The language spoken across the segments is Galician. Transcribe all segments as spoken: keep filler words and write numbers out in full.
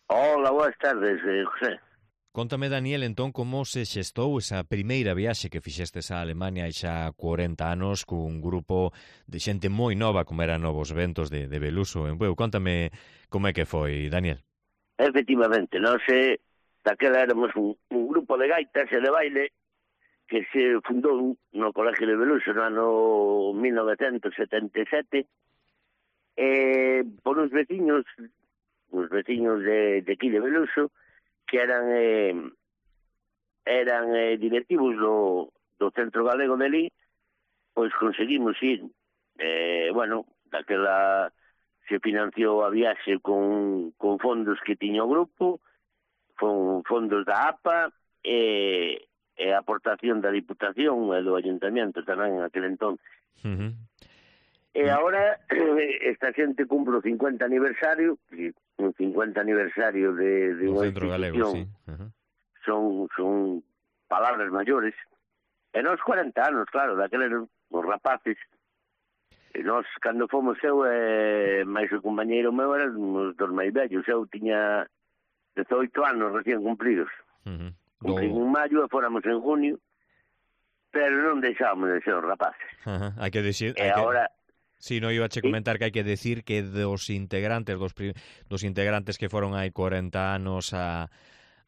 Hola, boas tardes, eh, José. Contame, Daniel, entón, como se xestou esa primeira viaxe que fixestes a Alemania hai xa cuarenta anos cun grupo de xente moi nova como eran Novos Ventos de, de Beluso en Bueu. Contame como é que foi, Daniel. Efectivamente, nós eh, daquela éramos un, un grupo de gaitas e de baile que se fundou no Colegio de Beluso no ano mil novecentos setenta e sete eh, por uns veciños, uns veciños de, de aquí de Beluso que eran eh, eran eh, directivos do, do Centro Galego de Lí, pois conseguimos ir, eh, bueno, daquela se financiou a viaxe con, con fondos que tiña o grupo, con fondos da A P A e, e a aportación da Diputación e do Ayuntamiento tamén en aquel entonces. Uh-huh. E agora esta xente cumpre o cincuenta aniversario, un cincuenta aniversario de, de unha Centro Galego, sí. Uh-huh. Son, son palabras maiores. E nos cuarenta anos, claro, daqueles os rapaces. E nós, cando fomos eu e máis o compañeiro meu, eran os dos máis vellos. Eu tiña dezoito anos recién cumpridos. Uh-huh. Cumprín Do... en maio e fóramos en junio, pero non deixábamos de ser os rapaces. Uh-huh. Hai que decir... E agora... Que... Sí, no iba a che comentar que hai que decir que dos integrantes, dos, pri... dos integrantes que foron hai cuarenta anos a...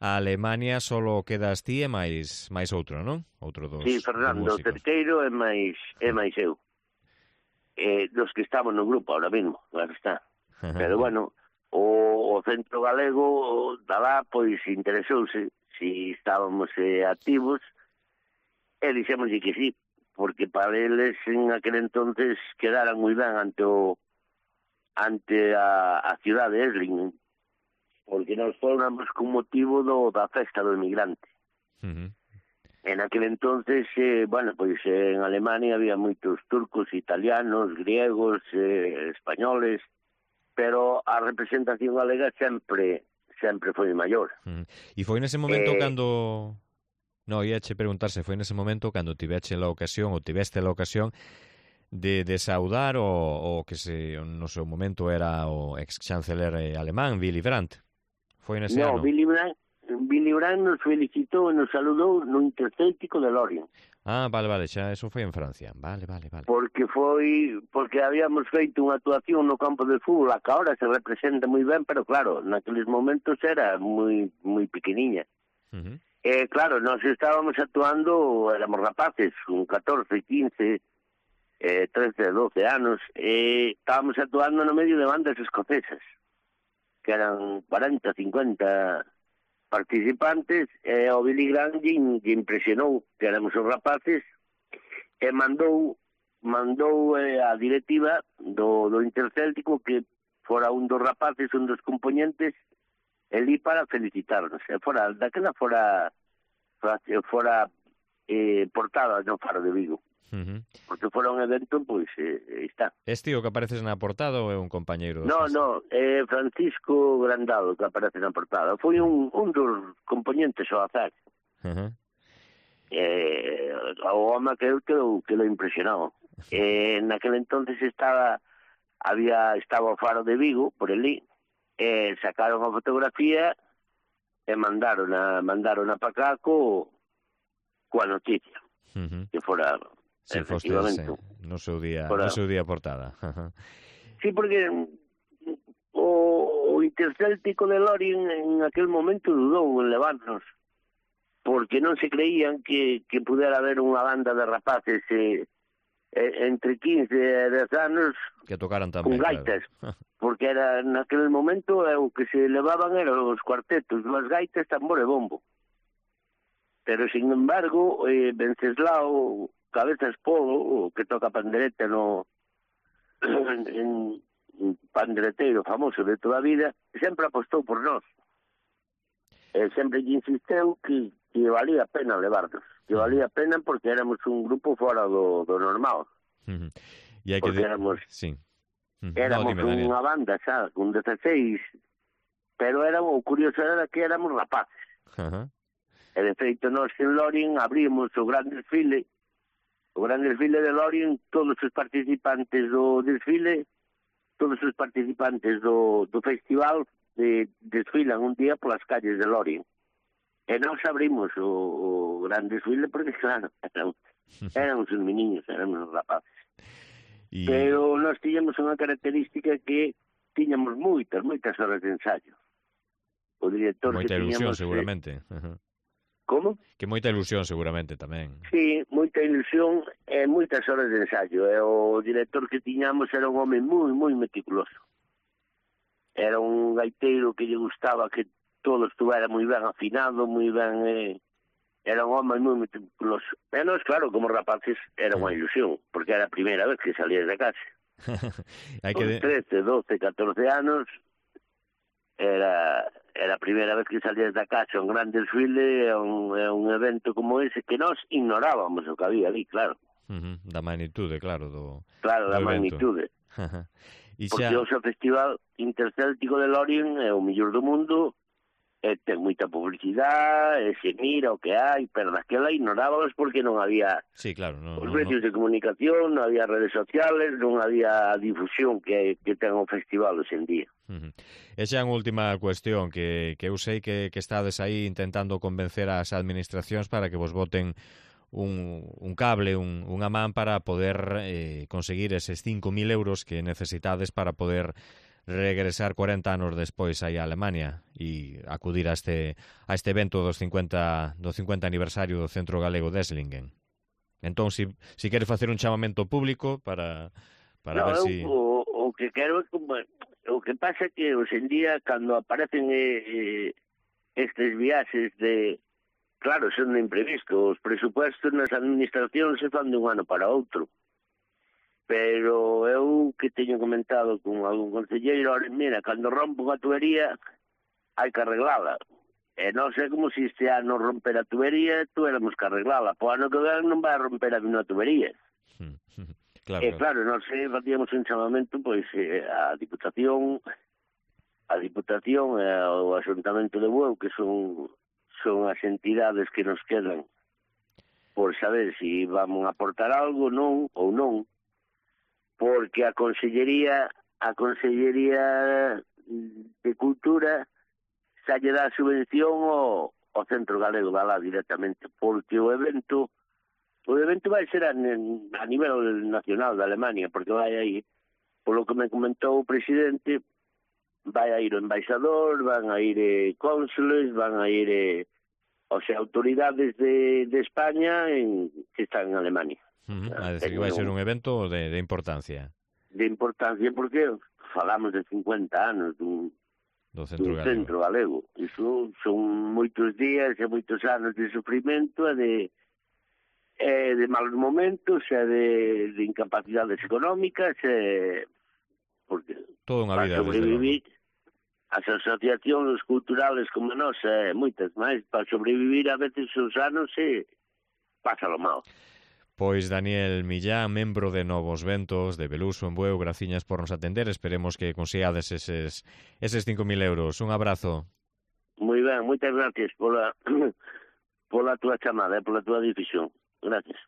a Alemania, solo quedas ti e máis máis outro, non? Outro dos, sí, Fernando dos Cerqueiro e máis, e máis eu. Eh, dos que estamos no grupo ahora mismo, claro está. Pero bueno, o, o Centro Galego da lá, pois interesouse si estábamos eh, activos e dixémoslle que sí, porque para eles en aquel entonces quedaran moi ben ante o ante a, a ciudad de Esslingen, porque nos fóramos con motivo do, da festa do emigrante. Uh-huh. En aquel entonces, eh, bueno, pois eh, en Alemania había moitos turcos, italianos, griegos, eh, españoles, pero a representación galega sempre sempre foi maior. Uh-huh. E foi nese momento eh, cando... No, ia che preguntarse, foi nese momento cando tiveche la ocasión, ou tiveste la ocasión de, de saudar o, o que se, no seu momento era o ex-chanceler alemán, Willy Brandt. Foi nese no, ano? Willy Brandt, Willy Brandt nos felicitou e nos saludou no Intercéltico de Lorient. Ah, vale, vale, xa, eso foi en Francia. Vale, vale, vale. Porque foi, porque habíamos feito unha actuación no campo de fútbol, a que ahora se representa moi ben, pero claro, naqueles momentos era moi moi pequeniña. Uh-huh. Eh, claro, nós estábamos actuando, éramos rapaces, con catorce, quince, eh, trece, doce anos, e estábamos actuando no medio de bandas escocesas, que eran cuarenta, cincuenta participantes, e o Billy Graham lle impresionou que éramos os rapaces, e mandou mandou eh, a directiva do, do Intercéltico que fora un dos rapaces, un dos componentes, elí para felicitarnos. E fora, daquela fora fora, fora eh, portada no Faro de Vigo. Uh-huh. Porque fora un evento, pois, eh, está. Este o que apareces na portada ou é un compañeiro? No, no, é eh, Francisco Grandado que aparece na portada. Foi un, un dos componentes ao azar. Uh-huh. Eh, o home que eu quedou, quedou impresionado. Eh, naquele entonces estaba, había, estaba o Faro de Vigo, por elí, eh, sacaron a fotografía e mandaron a, mandaron a para cá co, coa noticia. Uh-huh. Que fora, sí, efectivamente. Foste, no seu día, fora, no seu día portada. Uh-huh. Sí, porque o, o Intercéltico de Lorient en aquel momento dudou en levarnos, porque non se creían que, que pudera haber unha banda de rapaces eh, entre quince e dez anos que tocaran tamén, con gaitas, claro. Porque era naquele momento eh, o que se levaban eran os cuartetos, dúas gaitas, tambor e bombo. Pero, sin embargo, eh, Venceslao Cabezas Polo, o que toca pandereta no en, en pandereteiro famoso de toda a vida, sempre apostou por nós. E sempre lle insisteu que, que valía a pena levarnos, que valía a pena porque éramos un grupo fora do, do normal. Uh-huh. E hai porque que de... éramos, sí. uh-huh. éramos no, dime, unha banda, xa, con dezasseis, pero éramos, o curioso era que éramos rapaces. Uh-huh. E de feito, nós en Lorient abrimos o gran desfile, o gran desfile de Lorient, todos os participantes do desfile, todos os participantes do, do festival de, desfilan un día polas calles de Lorien. E nós abrimos o, o gran desfile porque, claro, eran, eran os meniños, eran os rapaces. Y... Pero nós tiñamos unha característica que tiñamos moitas, moitas horas de ensayo. O director moita que ilusión, tiñamos, seguramente. Eh, como? Que moita ilusión, seguramente, tamén. Sí, moita ilusión e moitas horas de ensayo. E o director que tiñamos era un home moi, moi meticuloso. Era un gaiteiro que lle gustaba que todo estuvera moi ben afinado, moi ben... Eh, era un home moi meticuloso. E nós, claro, como rapaces, era unha ilusión, porque era a primeira vez que salías de casa. Hai que... Con trece, doce, catorce anos, era... era a primeira vez que salías da casa, un gran desfile, é un, é un evento como ese que nós ignorábamos o que había ali, claro. Uh -huh. Da magnitude, claro, do Claro, do da evento. magnitude. E Porque xa... o seu Festival Intercéltico de Lorien é o mellor do mundo, e ten moita publicidade, e se mira o que hai, pero daquela ignorábamos porque non había sí, claro, no, os no, medios no. de comunicación, non había redes sociales, non había difusión que, que ten o festival hoxe en día. Uh -huh. E xa unha última cuestión que, que eu sei que, que estades aí intentando convencer as administracións para que vos voten un, un cable, un, unha man para poder eh, conseguir eses cinco mil euros que necesitades para poder regresar cuarenta anos despois aí a Alemania e acudir a este a este evento dos cincuenta do cincuenta aniversario do Centro Galego de Esslingen. Entón, si, si queres facer un chamamento público para para no, ver eu, si... o, o que quero é como... O que pasa é que hoxe en día, cando aparecen eh, eh, estes viaxes de... Claro, son de imprevisto. Os presupuestos nas administracións se fan de un ano para outro. Pero eu que teño comentado con algún concelleiro, mira, cando rompo unha tubería, hai que arreglala. E non sei como se este ano romper a tubería, tuéramos que arreglala. Po ano que ven non vai a romper a unha tubería. Claro, E claro, non sei, facíamos un chamamento, pois, eh, a Diputación, a Diputación e o Asuntamento de Bueu, que son, son as entidades que nos quedan por saber se si vamos a aportar algo, non, ou non, porque a Consellería, a Consellería de Cultura xa lle dá subvención ao, ao Centro Galego da lá directamente, porque o evento o evento vai ser a, a nivel nacional da Alemania, porque vai aí, polo que me comentou o presidente, vai a ir o embaixador, van a ir eh, cónsules, van a ir eh, o sea, autoridades de, de España en, que están en Alemania. Uh -huh. A decir, que vai ser un evento de, de importancia. De importancia, porque falamos de cincuenta anos dun, do Centro dun Galego. Centro Galego. Iso son moitos días e moitos anos de sufrimento e de, e de malos momentos e de, de incapacidades económicas e porque toda unha vida, sobrevivir as asociacións culturales como nós e moitas máis, para sobrevivir a veces os anos e pásalo mal. Pois Daniel Millán, membro de Novos Ventos de Beluso en Bueu, graciñas por nos atender, esperemos que consigades eses, eses cinco mil euros. Un abrazo. Moi ben, moitas gracias pola, pola túa chamada e pola túa difusión. Gracias.